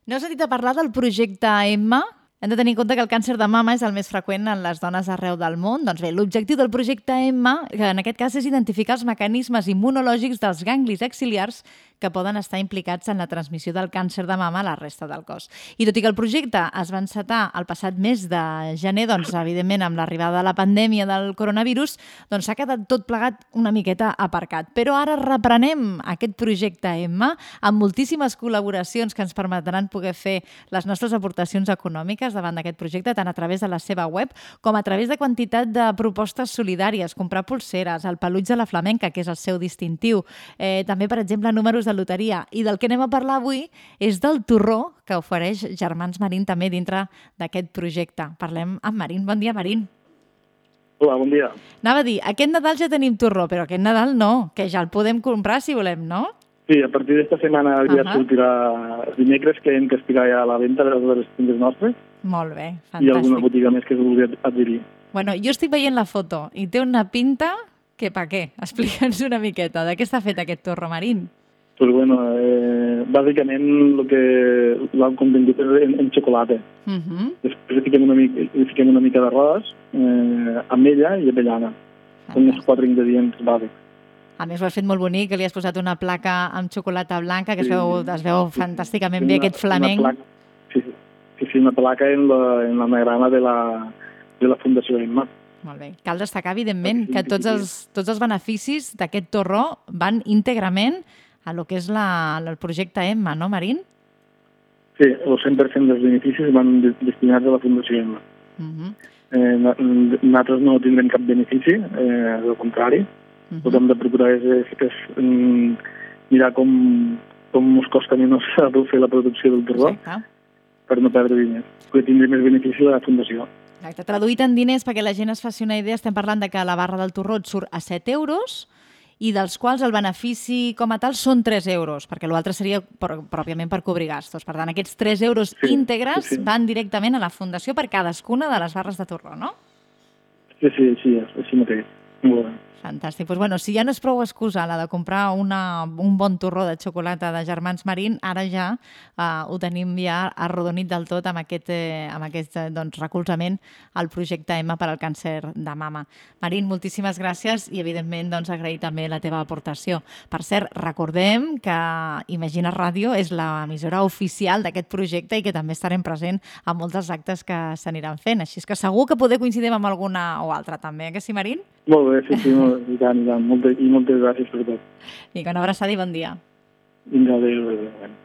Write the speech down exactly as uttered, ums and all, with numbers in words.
No heu sentit a parlar del projecte Emma? Hem de tenir en compte que el càncer de mama és el més freqüent en les dones arreu del món. Doncs bé, l'objectiu del projecte Emma, que en aquest cas és identificar els mecanismes immunològics dels ganglis axil·lars que poden estar implicats en la transmissió del càncer de mama a la resta del cos. I tot i que el projecte es va encetar el passat mes de gener, doncs, evidentment, amb l'arribada de la pandèmia del coronavirus, doncs s'ha quedat tot plegat una miqueta aparcat. Però ara reprenem aquest projecte Emma amb moltíssimes col·laboracions que ens permetran poder fer les nostres aportacions econòmiques davant d'aquest projecte, tant a través de la seva web com a través de quantitat de propostes solidàries, comprar pulseres, el peluig de la flamenca, que és el seu distintiu, eh, també, per exemple, números de loteria. I del que anem a parlar avui és del torró que ofereix Germans Marín també dintre d'aquest projecte. Parlem amb Marín. Bon dia, Marín. Hola, bon dia. Anava a dir, aquest Nadal ja tenim torró, però aquest Nadal no, que ja el podem comprar si volem, no? Sí, a partir d'esta setmana ja uh-huh. sortirà els dimecres, que hem que estirà ja a la venda de les tendes nostres. Molt bé, fantàstic. I alguna botiga més que es vulgui adherir. Bueno, jo estic veient la foto i té una pinta que pa què? Explica'ns una miqueta. De què està fet aquest torró, Marín? Pues bueno, eh, bàsicament el que l'han contingut és en, en xocolata. Uh-huh. Després hi fiquem una mica, hi fiquem una mica d'arròs, eh, ametlla i avellana. Són els quatre ingredients bàsics. A més, ho has fet molt bonic, que li has posat una placa amb xocolata blanca, que es veu, es veu fantàsticament sí, bé, una, aquest flamenc. Una placa, sí, sí, sí, una placa en la, en l'anagrama de la, de la Fundació Emma. Molt bé. Cal destacar, evidentment, que tots els, tots els beneficis d'aquest torró van íntegrament a lo que és la, el projecte Emma, no, Marín? Sí, el cent per cent dels beneficis van destinats a la Fundació Emma. Uh-huh. eh, nosaltres no tindrem cap benefici, eh, al contrari. Uh-huh. El que hem de procurar és, és, és um, mirar com, com ens costa menys fer la producció del torró. Exacte. Per no perdre diners, perquè tindrem més benefici de la Fundació. Exacte. Traduït en diners, perquè la gent es faci una idea, estem parlant de que la barra del torró et surt a set euros i dels quals el benefici com a tal són tres euros, perquè l'altre seria per, pròpiament per cobrir gastos. Per tant, aquests tres euros sí, íntegres sí, sí. van directament a la Fundació per cadascuna de les barres de torró, no? Sí, sí, sí, així mateix. Molt bé. Fantàstic. Pues bueno, si ja no és prou excusa la de comprar una, un bon torró de xocolata de Germans Marín, ara ja uh, ho tenim ja arrodonit del tot amb aquest, eh, amb aquest eh, doncs, recolzament al projecte Emma per al càncer de mama. Marín, moltíssimes gràcies i, evidentment, doncs, agrair també la teva aportació. Per cert, recordem que Imagina Ràdio és l'emissora oficial d'aquest projecte i que també estarem present a molts dels actes que s'aniran fent. Així que segur que poder coincidim amb alguna o altra també, eh, que sí, Marín? Molt bé, sí, sí, molt, i tant, i tant. Moltes, i moltes gràcies per tot. Vinga, una abraçada i bon dia. Vinga, adéu, adéu.